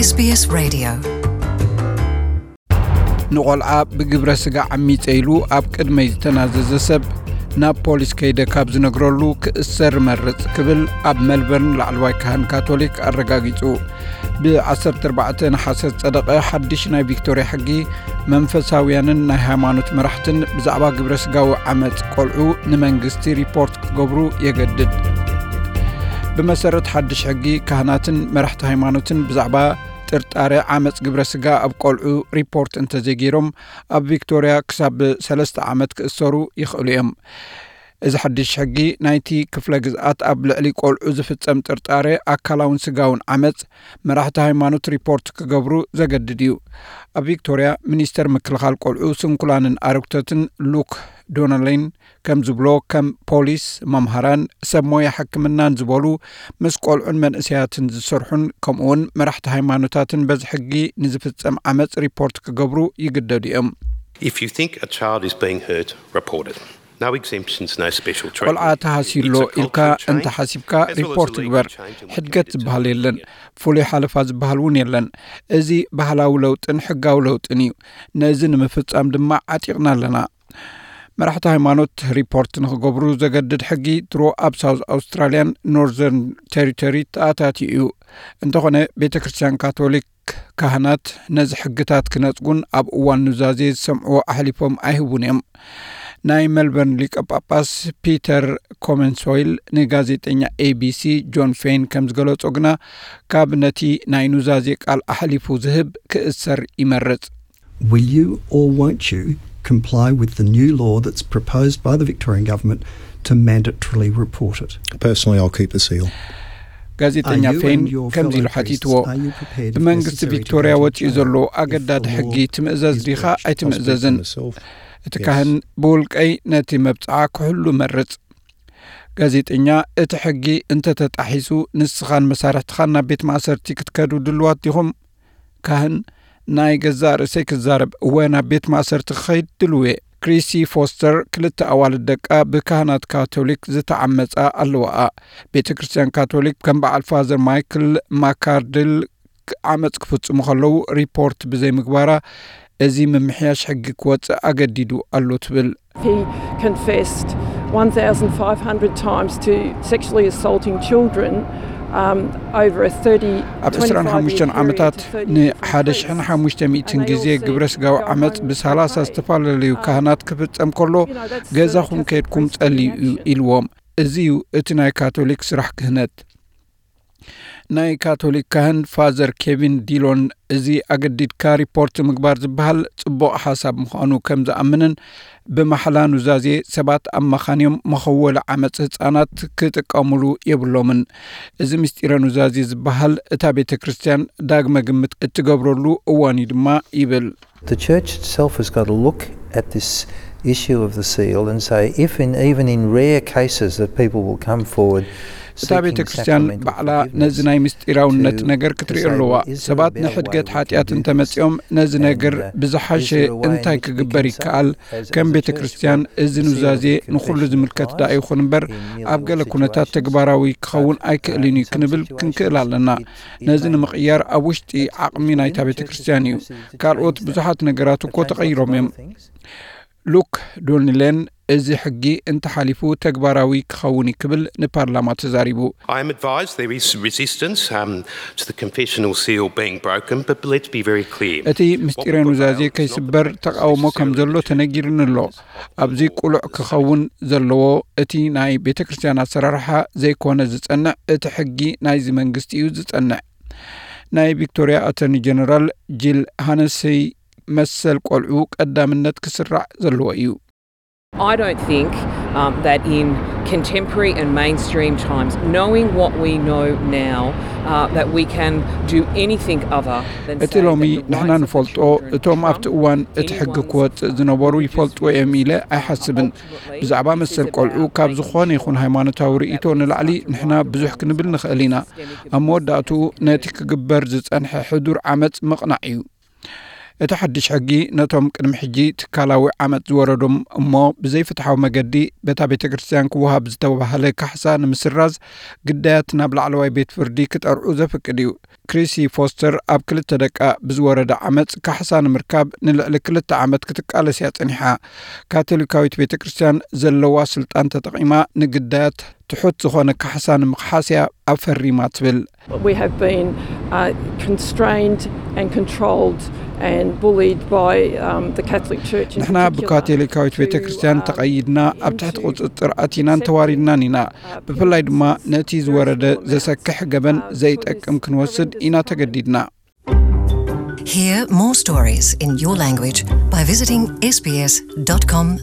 SBS Radio. ንቆልዓ ብግብረ ስጋ ዓሚፀ ኢሉ ኣብ ቅድመይ ዝተናዘዘ ሰብ ናብ ፖሊስ ከይደ ካብ ዝነግረሉ ክእሰር እመርፅ ክብል ኣብ መልበርን ላዕለዋይ ካህን ካቶሊክ ኣረጋጊፁ። ብ ዓሰርተ ኣርባዕተ ነሓሰ ዝጸደቐ ሓድሽ ናይ ቪክቶርያ ሕጊ መንፈሳውያንን ናይ ሃይማኖት መራሕትን ብዛዕባ ግብረ ስጋዊ ዓመጽ ቆልዑ ንመንግስቲ ሪፖርት ክገብሩ የገድድ። ብመሰረት ሓድሽ ሕጊ ካህናትን መራሕቲ ሃይማኖትን ብዛዕባ ጥርጣረ ዓመጽ ግብረ ስጋ ኣብ ቆልዑ ሪፖርት እንተዘይገይሮም ኣብ ቪክቶርያ ክሳብ ሰለስተ ዓመት ክእሰሩ ይኽእሉ እዮም። እዚ ሓድሽ ሕጊ ናይቲ ክፍለ ግዝኣት ኣብ ልዕሊ ቆልዑ ዝፍጸም ጥርጣረ ኣካላውን ስጋውን ዓመጽ መራሕቲ ሃይማኖት ሪፖርት ክገብሩ ዘገድድ እዩ። ኣብ ቪክቶርያ ሚኒስተር ምክልኻል ቆልዑ ስንኩላንን ኣረግቶትን ሉክ ዶነሌን ከም ዝብሎ ከም ፖሊስ፣ መምሃራን፣ ሰብ ሞያ ሕክምናን ዝበሉ ምስ ቆልዑን መንእሰያትን ዝሰርሑን ከምኡውን መራሕቲ ሃይማኖታትን በዚ ሕጊ ንዝፍጸም ዓመጽ ሪፖርት ክገብሩ ይግደዱ እዮም። If you think a child is being hurt, report it. No exemptions, no special treatment. ቆልዓ ተሃስዩ ኣሎ ኢልካ እንተ ሓሲብካ ሪፖርት ግበር። ሕድገት ዝበሃል የለን፣ ፍሉይ ሓለፋ ዝበሃል እውን የለን። እዚ ባህላዊ ለውጥን ሕጋዊ ለውጥን እዩ። ነዚ ንምፍጻም ድማ ዓጢቕና ኣለና። መራሕቲ ሃይማኖት ሪፖርት ንኽገብሩ ዘገድድ ሕጊ ድሮ ኣብ ሳውዝ ኣውስትራልያን ኖርዘርን ቴሪቶሪ ተኣታትዩ እዩ። እንተኾነ ቤተ ክርስቲያን ካቶሊክ ካህናት ነዚ ሕግታት ክነጽጉን ኣብ እዋን ኑዛዜ ዝሰምዕዎ ኣሕሊፎም ኣይህቡን እዮም። ናይ መልበርን ሊቀ ጳጳስ ፒተር ኮመንሶይል ንጋዜጠኛ ኤቢሲ ጆን ፌን ከም ዝገለጾ ግና ካብ ነቲ ናይ ኑዛዜ ቃል ኣሕሊፉ ዝህብ ክእሰር ይመርጽ። Will you or won't you comply with the new law that's proposed by the Victorian government to mandatorily report it? Personally, I'll keep the seal. ጋዜጠኛ ፌን ከምዚ ኢሉ ሓቲትዎ፣ ብመንግስቲ ቪክቶርያ ወፂኡ ዘሎ ኣገዳዲ ሕጊ ትምእዘዝ ዲኻ ኣይትምእዘዝን? እቲ ካህን ብውልቀይ ነቲ መብፅዓ ክሕሉ መርፅ። ጋዜጠኛ፣ እቲ ሕጊ እንተተጣሒሱ ንስኻን መሳርሕትኻን ናብ ቤት ማእሰርቲ ክትከዱ ድልዋት ዲኹም? ካህን፣ ናይ ገዛእ ርእሰይ ክዛረብ፣ እወ፣ ናብ ቤት ማእሰርቲ ክኸይድ ድልው እየ። ክሪሲ ፎስተር ክልተ ኣዋልድ ደቃ ብካህናት ካቶሊክ ዝተዓመጻ ኣለዋኣ። ቤተ ክርስቲያን ካቶሊክ ከም በዓል ፋዘር ማይክል ማካርድል ዓመጽ ክፍጽሙ ከለዉ ሪፖርት ብዘይምግባራ እዚ ምምሕያሽ ሕጊ ክወጽእ ኣገዲዱ ኣሎ ትብል። He confessed one thousand five hundred times to sexually assaulting children, um, over a thirty, ኣብ ዕስራን ሓሙሽተን ዓመታት ንሓደ ሽሕን ሓሙሽተ ሚእትን ግዜ ግብረ ስጋዊ ዓመጽ ብሳላሳ ዝተፈላለዩ ካህናት ክፍጸም ከሎ ገዛኹም ከይድኩም ጸልዩ እዩ ኢልዎም። እዚ እዩ እቲ ናይ ካቶሊክ ስራሕ ክህነት። ናይ ካቶሊክ ካህን ፋዘር ኬቪን ዲሎን እዚ ኣገዲድካ ሪፖርት ምግባር ዝበሃል ጽቡቕ ሓሳብ ምዃኑ ከም ዝኣምንን ብማሕላ ኑዛዜ ሰባት ኣማኻንዮም መኸወሊ ዓመጽ ህጻናት ክጥቀሙሉ የብሎምን። እዚ ምስጢረ ኑዛዜ ዝበሃል እታ ቤተ ክርስቲያን ዳግመ ግምት እትገብረሉ እዋን እዩ ድማ ይብል። The church itself has got to look at this issue of the seal and say, if in, even in rare cases that people will come forward እታ ቤተ ክርስቲያን ባዕላ ነዚ ናይ ምስጢራውነት ነገር ክትርኢ ኣለዋ። ሰባት ንሕድገት ሓጢኣት እንተመጺኦም ነዚ ነገር ብዝሓሸ እንታይ ክግበር ይከኣል? ከም ቤተ ክርስቲያን እዚ ኑዛዜ ንኹሉ ዝምልከት ደኣ ይኹን እምበር ኣብ ገለ ኩነታት ተግባራዊ ክኸውን ኣይክእልን እዩ ክንብል ክንክእል ኣለና። ነዚ ንምቕያር ኣብ ውሽጢ ዓቕሚ ናይታ ቤተ ክርስቲያን እዩ። ካልኦት ብዙሓት ነገራት እኮ ተቐይሮም እዮም። ሉክ ዶኒሌን እዚ ሕጊ እንተሓሊፉ ተግባራዊ ክኸውን እዩ ክብል ንፓርላማ ተዛሪቡ። I am advised there is resistance, um, to the confessional seal being broken, but let's be very clear. እቲ ምስጢረ ኑዛዜ ከይስበር ተቃውሞ ከም ዘሎ ተነጊርኒ ኣሎ። ኣብዚ ቁሉዕ ክኸውን ዘለዎ እቲ ናይ ቤተ ክርስቲያን ኣሰራርሓ ዘይኮነ ዝጸንዕ፣ እቲ ሕጊ ናይዚ መንግስቲ እዩ ዝጸንዕ። ናይ ቪክቶርያ ኣተርኒ ጀነራል ጂል ሃነሰይ መሰል ቆልዑ ቀዳምነት ክስራዕ ዘለዎ እዩ። I don't think, um, that in contemporary and mainstream times, knowing what we know now, uh, that we can do anything other than እቲ say ሎሚ that the ንሕና rights of the ንፈልጦ፣ children እቶም ኣብቲ trump እዋን እቲ any ሕጊ one ክወጽእ ዝነበሩ ይፈልጥዎ እዮም ኢለ ኣይሓስብን። ብዛዕባ መሰል ቆልዑ ካብ ዝኾነ ይኹን ሃይማኖታዊ ርእይቶ ንላዕሊ ንሕና ብዙሕ ክንብል ንኽእል ኢና። ኣብ መወዳእትኡ ነቲ ክግበር ዝጸንሐ ሕዱር ዓመጽ ምቕናዕ እዩ። እቲ ሓድሽ ሕጊ ነቶም ቅድሚ ሕጂ ትካላዊ ዓመጽ ዝወረዶም እሞ ብዘይፍትሓዊ መገዲ በታ ቤተ ክርስቲያን ክወሃብ ዝተባህለ ካሕሳ ንምስራዝ ግዳያት ናብ ላዕለዋይ ቤት ፍርዲ ክጠርዑ ዘፍቅድ እዩ። ክሪሲ ፎስተር ኣብ ክልተ ደቃ ብዝወረደ ዓመጽ ካሕሳ ንምርካብ ንልዕሊ ክልተ ዓመት ክትቃለስ እያ ጸኒሓ። ካቶሊካዊት ቤተ ክርስቲያን ዘለዋ ስልጣን ተጠቒማ ንግዳያት ትሑት ዝኾነ ካሕሳ ንምኽሓስ እያ ኣፈሪማ ትብል። We have been uh, constrained and controlled and bullied by um, the Catholic Church. ንሕና ብካቶሊካዊት ቤተ ክርስቲያን ተቐይድና ኣብ ትሕቲ ቁፅፅር ኣቲናን ተዋሪድናን ኢና። ብፍላይ ድማ ነቲ ዝወረደ ዘሰክሕ ገበን ዘይጠቅም ክንወስድ ኢና ተገዲድና። Hear more stories in your language by visiting sbs.com.au.